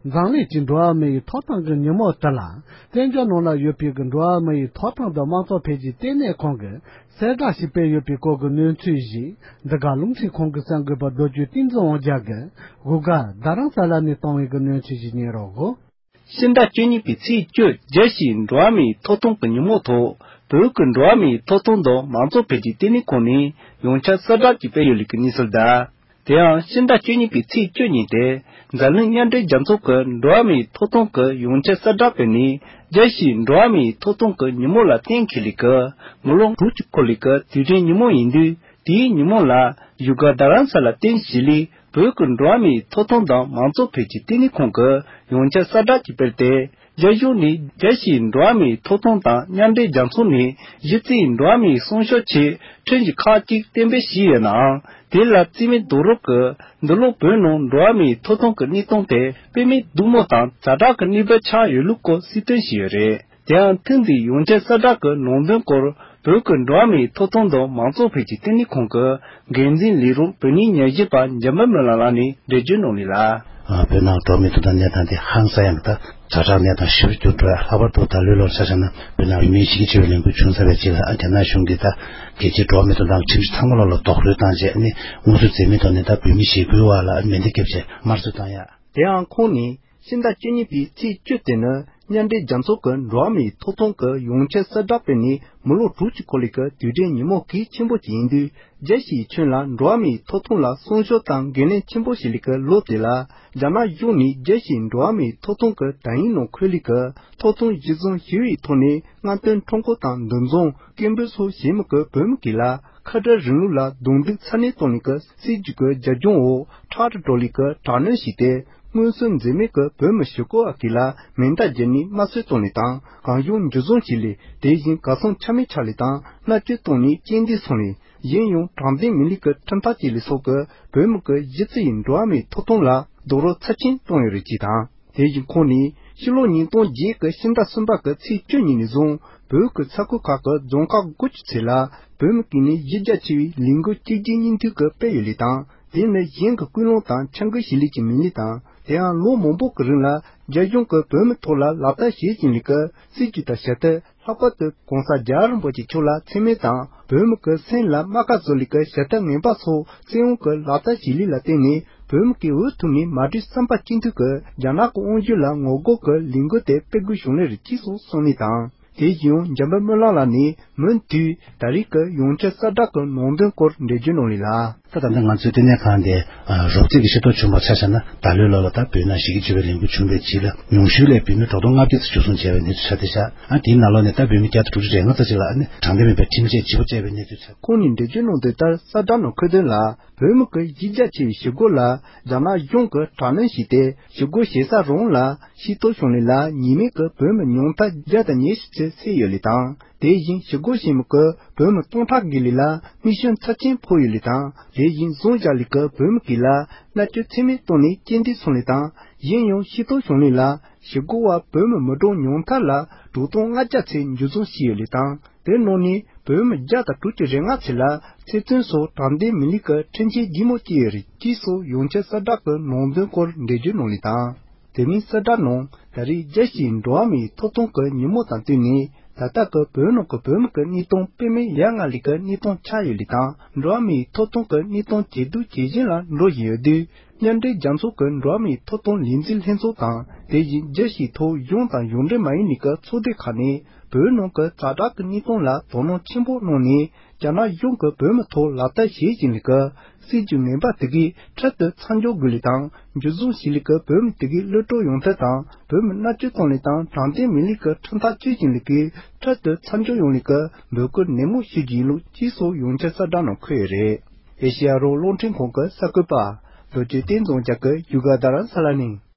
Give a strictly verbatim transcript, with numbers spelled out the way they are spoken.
འཛམ་གླིང་གི་འགྲོ་བ་མི་ཡི་ཐོབ་ཐང་གི་ཉིན་མོ་དེ་ལ། བཙན་བྱོལ་ནང་ལ་ཡོད་པའི་གི་འགྲོ་བ་མི་ཡི་ཐོབ་ཐང་དང་དམངས་གཙོ་འཕེལ་རྒྱས་ལྟེ་གནས་ཁང་གིས་གསལ་བསྒྲགས་ཤིག་སྤེལ་ཡོད་པའི་སྐོར་གྱི་གནས་ཚུལ་ཞིག་འདི་ག་རླུང་འཕྲིན་ཁང་གི་གསར་འགོད་པ་རྡོ་རྗེ་བསྟན་འཛིན་དབང་རྒྱལ་གྱིས་བཞུགས་སྒར་རྡ་རམ་ས་ལ་ནས་བཏང་བའི་གི་གནས་ཚུལ་ཞིག་ཉན་རོགས། ཕྱི་ཟླ་བཅུ་གཉིས་པའི་ཚེས་བཅུ། རྒྱལ་སྤྱིའི་འགྲོ་བ་མིའི་ཐོབ་ཐང་གི་ཉིན་མོ་ཐོག་བོད་ཀྱི་འགྲོ་བ་མིའི་ཐོབ་ཐང་དང་མང་གཙོ་འཕེལ་རྒྱས་ལྟེ་གནས་ཁང་ནས་ཡོངས་ཁྱབ་གསལ་བསྒྲགས་ཀྱིས་སྤེལ་ཡོད་ལུགས་ཀྱི་གནས་ཚུལ་དང་། དེ་ཡང་ཕྱི་ཟླ་བཅུ་གཉིས་པའི་ཚེས་བཅུ་ཉིན་ཏེ། འཛམ་གླིང་མཉམ་འབྲེལ་རྒྱལ་ཚོགས་ཀྱི་འགྲོ་བ་མིའི་ཐོབ་ཐང་གི་ཡོངས་ཁྱབ་གསལ་བསྒྲགས་སྤེལ་ནས། རྒྱལ་སྤྱིའི་འགྲོ་བ་མིའི་ཐོབ་ཐང་གི་ཉིན་མོ་ལ་གཏན་འཁེལ་ལུགས་ཀྱི་མི་ལོ་དྲུག་ཅུ་འཁོར་ལུགས་ཀྱི་དུས་དྲན་ཉིན་མོ་ཡིན་དུས། དེའི་ཉིན་མོ་ལ་བཞུགས་སྒར་རྡ་རམ་ས་ལ་རྟེན་གཞི་ལས་བོད་ཀྱི་འགྲོ་བ་མིའི་ཐོབ་ཐང་དང་མང་གཙོ་འཕེལ་རྒྱས་ལྟེ་གནས་ཁང་གིས་ཡོངས་ཁྱབ་གསལ་བསྒྲགས་ཀྱིས་སྤེལ་ཏེ། རྒྱ་གཞུང་ནས་རྒྱལ་སྤྱིའི་འགྲོ་བ་མིའི་ཐོབ་ཐང་དང་མཉམ་འབྲེལ་རྒྱལ་ཚོགས་ནས་གཞི་རྩའི་འགྲོ་བ་མིའི་སྲུང་སྐྱོབ་ཆེད་ཁྲིམས་གཞི་ཁག་ཅིག་གཏན་འབེབས་བྱས་ཡོད་ནའང་། དེ་ལ་རྩིས་མེད་རྡོག་རོལ་གྱིས་འདི་ལོ་བོད་ནང་འགྲོ་བ་མིའི་ཐོབ་ཐང་གི་གནས་སྟངས་དེ་དཔེ་མེད་སྡུག་མོ་དང་ཛ་དྲག་གི་གནས་བབ་ཆགས་ཡོད་ལུགས་སྐོར་གསལ་སྟོན་བྱས་ཡོད་རེད། དེ་ཡང་ཐེངས་འདིའི་ཡོངས་ཁྱབ་གསལ་བསྒྲགས་ཀྱི་ནང་དོན་སྐོར་བོད་ཀྱི་འགྲོ་བ་མིའི་ཐོབ་ཐང་དང་མང་གཙོ་འཕེལ་རྒྱས་ལྟེ་གནས་ཁང་གི་འགན་འཛིན་ལས་རོགས་བོད་གནས་ཉམས་ཞིབ་པ་འཇམ་དཔལ་སྨོན་ལམ་ལགས་ནས་འགྲེལ་བརྗོད་གནང་ལེ་ལ། ཨ། བོད་ནང་འགྲོ་བ་མིའི་ཐོབ་ཐང་གནས་སྟངས་དེ་ཧང་སང་ཡང་ད་ཛ་དྲག་གནས་སྟངས་ཞེ་པོ་གྱུར་འགྲོ་ཡ། ལྷག་པར་དུ་ད་ལོའི་ལོར་ཆ་བཞག་ན་བོད་ནང་བོད་མིའི་གཞི་རྒྱ་ཆེ་བའི་ལས་འགུལ་བྱུང་ཚར་བའི་རྗེས་ལ། ཨ། རྒྱ་ནག་གཞུང་གིས་ད་རྒྱལ་སྤྱིའི་འགྲོ་བ་མིའི་ཐོབ་ཐང་ཁྲིམས་གཞི་ཚང་མ་ལོག་ལ་རྡོག་རོལ་བཏང་རྗེས་ནས་དངོས་སུ་འཛེམ་མེད་ཐོག་ནས་ད་བོད་མི་ཞི་རྒོལ་བ་ལ་མེ་མདའ་བརྒྱབ་བྱས་དམར་གསོད་བཏང་ཡ། དེའང་ཁོང་ནས་ཕྱི་ཟླ་བཅུ་གཉིས་པའི་ཚེས་བཅུ་དེ་ནི་མཉམ་འབྲེལ་རྒྱལ་ཚོགས་ཀྱི་འགྲོ་བ་མིའི་ཐོབ་ཐང་གི་ཡོངས་ཁྱབ་གསལ་བསྒྲགས་སྤེལ་ནས་མི་ལོ་དྲུག་ཅུ་འཁོར་ལུགས་ཀྱི་དུས་དྲན་ཉིན་མོ་གལ་ཆེན་པོ་ཅིག་ཡིན་དུས། རྒྱལ་སྤྱིའི་ཁྱོན་ལ་འགྲོ་བ་མིའི་ཐོབ་ཐང་ལ་སྲུང་སྐྱོབ་དང་འགན་ལེན་ཆེན་པོ་བྱེད་ལུགས་ཀྱི་ལོ་དེ་ལ། རྒྱ་ནག་གཞུང་ནས་རྒྱལ་སྤྱིའི་འགྲོ་བ་མིའི་ཐོབ་ཐང་གི་དེབ་དང་ནང་འཁོད་ལུགས་ཀྱི་ཐོབ་ཐང་གཞི་བཟུང་ཞུ་བའི་ཐོག་ནས་རྔམ་སྟོན་ཁྲོམ་སྐོར་དང་འདུ་འཛོམས་སྐད་འབོད་སོགས་བྱེད་མི་གི་བོད་མི་གིས་ལ་ཁ་བྲལ་རིང་ལུགས་ལ་རྡུང་རྡེག་ཚ་ནན་གཏོང་ལུགས་ཀྱི་སྲིད་ཇུས་ཀྱི་རྒྱབ་ལྗོངས་འོག་ཁྲག་དྲི་བྲོ་ལུགས་ཀྱི་དྲག་གནོན་བྱས་ཏེ། མངོན་གསལ་འཛེམ་མེད་ཀྱི་བོད་མི་ཞི་རྒོལ་བ་གིས་ལ་མེ་མདའ་བརྒྱབ་ནས་དམར་གསོད་བཏང་ལུགས་དང་། གང་བྱུང་འཇུ་བཟུང་བྱས་ལུགས། དེ་བཞིན་གར་སོང་ཆ་མེད་ཆགས་ལུགས་དང་། མནར་གཅོད་བཏང་ནས་རྐྱེན་འདས་སོང་ལུགས། གཞན་ཡང་དྲང་བདེན་མིན་ལུགས་ཀྱི་ཁྲིམས་ཐག་བཅད་ལུགས་སོགས་ཀྱིས་བོད་མི་གི་གཞི་རྩའི་འགྲོ་བ་མིའི་ཐོབ་ཐང་ལ་རྡོག་རོལ་ཚབས་ཆེན་བཏང་ཡོད་རེད་ཅེས་དང་། དེ་བཞིན་ཁོང་ནས་ཕྱི་ལོ་ཉིས་སྟོང་བརྒྱད་ཀྱི་ཕྱི་ཟླ་གསུམ་པ་གི་ཚེས་བཅུ་ཉིན་ནས་བཟུང་བོད་ཀྱི་ས་ཁུལ་ཁག་གི་རྫོང་ཁག་དགུ་བཅུ་ཙམ་ལ་བོད་མི་གིས་ནི་གཞི་རྒྱ་ཆེ་བའི་ལས་འགུལ་གཅིག་རྗེས་གཉིས་མཐུད་ཀྱིས་སྤེལ་ཡོད་ལུགས་དང་། དེ་ནི་གཞན་གྱི་སྐུལ་སློང་དང་འཆར་འགོད་བྱེད་ལུགས་ཀྱི་མིན་ལུགས་དང་། དེ་ཡང་ལོ་མང་པོ་གི་རིང་ལ་རྒྱ་གཞུང་གིས་བོད་མི་ཐོག་ལ་ལག་བསྟར་བྱེད་བཞིན་ལུགས་ཀྱི་སྲིད་ཇུས་དང་བྱ་ཐབས། ལྷག་པར་དུ་༸གོང་ས་༸རྒྱལ་བ་རིན་པོ་ཆེ་མཆོག་ལ་མཚན་སྨད་དང་། བོད་མི་གི་སེམས་ལ་རྨ་ཁ་བཟོ་ལུགས་ཀྱི་བྱ་ཐབས་ངན་པ་སོགས་བཙན་དབང་གིས་ལག་བསྟར་བྱེད་ལུགས་ལ་བརྟེན་ནས། བོད་མི་གིས་འུ་ཐུག་ནས་མ་གྲོས་བསམ་པ་གཅིག་མཐུན་གྱིས་རྒྱ་ནག་གི་དབང་བསྒྱུར་ལ་ངོ་རྒོལ་གྱི་ལས་འགུལ་དེ་སྤེལ་དགོས་བྱུང་ལེ་རེད་ཅེས་སོགས་གསུངས་ནས་དང་། དེ་བཞིན་འཇམ་དཔལ་སྨོན་ལམ་ལགས་ནས་མུ་མཐུད་ད་རེས་ཀྱི་ཡོངས་ཁྱབ་གསལ་བསྒྲགས་ཀྱི་ནང་དོན་སྐོར་འགྲེལ་བརྗོད་གནང་ལེ་ལ། ད་ད་ལྟ་ང་ཚོའི་ལྟེ་གནས་ཁང་དེ་རོབ་ཙམ་གྱི་ཤེས་རྟོགས་བྱུང་བར་ཆ་བཞག་ན། ད་ལོའི་ལོ་ལ་ད་བོད་ནང་གཞི་རྒྱ་ཆེ་བའི་ལས་འགུལ་བྱུང་བའི་རྗེས་ལ་ཉུང་ཤོས་ལ་བོད་མི་དྲུག་སྟོང་ལྔ་བརྒྱ་ཙམ་འཇུ་བཟུང་བྱས་པའི་གནས་ཚུལ་ཆགས་བསྡད་ཤག་ཨ། དེའི་ནང་ལོགས་ནས་ད་བོད་མི་བརྒྱ་དང་དྲུག་ཅུ་རེ་ལྔ་ཙམ་ཅིག་ལ་ཨ་ནི་དྲང་བདེན་མེད་པའི་ཁྲིམས་ཆད་ལྗིད་པོ་བཅད་པའི་གནས་ཚུལ་ཆགས། ཁོང་ནས་འགྲེལ་བརྗོད་གནང་དོན་ལྟར་གསལ་བསྒྲགས་ནང་འཁོད་དོན་ལ། བོད་མི་གི་གཞི་རྒྱ་ཆེ་བའི་ཞི་རྒོལ་ལ་རྒྱ་ནག་གཞུང་གིས་དྲག་གནོན་བྱས་ཏེ། ཞི་རྒོལ་བྱེད་ས་རང་ལ་ཤེས་རྟོགས་བྱུང་ལེ་ལ་ཉེས་མེད་ཀྱི་བོད་མི་ཉུང་མཐར་བརྒྱ་དང་ཉི་ཤུ་ཙམ་བསད་ཡོད་ལེ་དང་། དེ་བཞིན་ཞི་རྒོལ་བྱེད་མི་གི་བོད་མི་སྟོང་ཕྲག་བརྒལ་ལེ་ལ་མིག་ཤེལ་ཚབས་ཆེན་ཕོག་ཡོད་ལེ་དང་། དེ་བཞིན་བཟུང་བཞག་ལེ་གི་བོད་མི་གིས་ལ་མནར་གཅོད་ཚད་མེད་བཏང་ནས་རྐྱེན་འདས་སོང་ལེ་དང་། གཞན་ཡང་ཤེས་རྟོགས་བྱུང་ལེ་ལ་ཞི་རྒོལ་བ་བོད་མི་མི་གྲངས་ཉུང་མཐར་ལ་དྲུག་སྟོང་ལྔ་བརྒྱ་ཙམ་འཇུ་བཟུང་བྱས་ཡོད་ལེ་དང་། དེ་ནང་ནས་བོད་མི་བརྒྱ་དང་དྲུག་ཅུ་རེ་ལྔ་ཙམ་ལ་ཚེ་བཙོན་སོགས་དྲང་བདེན་མིན་ལུགས་ཀྱི་ཁྲིམས་ཆད་ལྗིད་མོ་བཅད་ཡོད་རེད་ཅེས་སོགས་ཡོངས་ཁྱབ་གསལ་བསྒྲགས་ཀྱི་ནང་དོན་སྐོར་འགྲེལ་བརྗོད་གནང་ལེ་དང་། དེ་མིན་གསལ་བསྒྲགས་ནང་ད་རེས་རྒྱལ་སྤྱིའི་འགྲོ་བ་མིའི་ཐོབ་ཐང་གི་ཉིན་མོ་དང་བསྟུན་ནས། ད་ལྟ་གི་བོད་ནང་གི་བོད་མི་གི་གནས་སྟངས་དཔེ་མེད་ཡ་ང་ལུགས་ཀྱི་གནས་སྟངས་ཆགས་ཡོད་ལེ་དང་། འགྲོ་བ་མིའི་ཐོབ་ཐང་གི་གནས་སྟངས་ཇེ་སྡུག་ཇེ་ཞན་ལ་འགྲོ་བཞིན་ཡོད་དུས། མཉམ་འབྲེལ་རྒྱལ་ཚོགས་ཀྱི་འགྲོ་བ་མིའི་ཐོབ་ཐང་ལས་འཛིན་ལྷན་ཚོགས་དང་། དེ་བཞིན་རྒྱལ་སྤྱིའི་ཐོག་གཞུང་དང་གཞུང་འབྲེལ་མ་ཡིན་ནི་ཀྱི་ཚོགས་སྡེ་ཁག་ནས་བོད་ནང་གི་ཛ་དྲག་གི་གནས་སྟངས་ལ་དོ་སྣང་ཆེན་པོ་གནང་ནས། རྒྱ་ནག་གཞུང་གིས་བོད་མི་ཐོག་ལག་བསྟར་བྱེད་བཞིན་ནི་ཀྱི་སྲིད་ཇུས་ངན་པ་དེ་གའི་འཕྲལ་དུ་མཚམས་འཇོག་དགོས་ལེ་དང་། འཇུ་བཟུང་བྱས་ལེ་ཀྱི་བོད་མི་དེ་གའི་གློད་གྲོལ་ཡོང་ཐབས་དང་། བོད་མི་མནར་གཅོད་གཏོང་ལེ་དང་དྲང་བདེན་མིན་ལེ་ཀྱི་ཁྲིམས་ཐག་གཅོད་བཞིན་ལེ་ཀྱི་འཕྲལ་དུ་མཚམས་འཇོག་ཡོང་ལེ་ཀྱི་འབོད་སྐུལ་ནན་མོ་ཞུ་རྒྱུ་ཡིན་ལུགས་ཅེས་སོགས་ཡོངས་ཁྱབ་གསལ་བསྒྲགས་ནང་འཁོད་ཡོད་རེད། ཨེ་ཤེ་ཡ་རང་དབང་རླུང་འཕྲིན་ཁང་གི་གསར་འགོད་པ་རྡོ་རྗེ་བསྟན་འཛིན་རྒྱ་གི་བཞུགས་སྒར་རྡ་རམ་ས་ལ་ནས།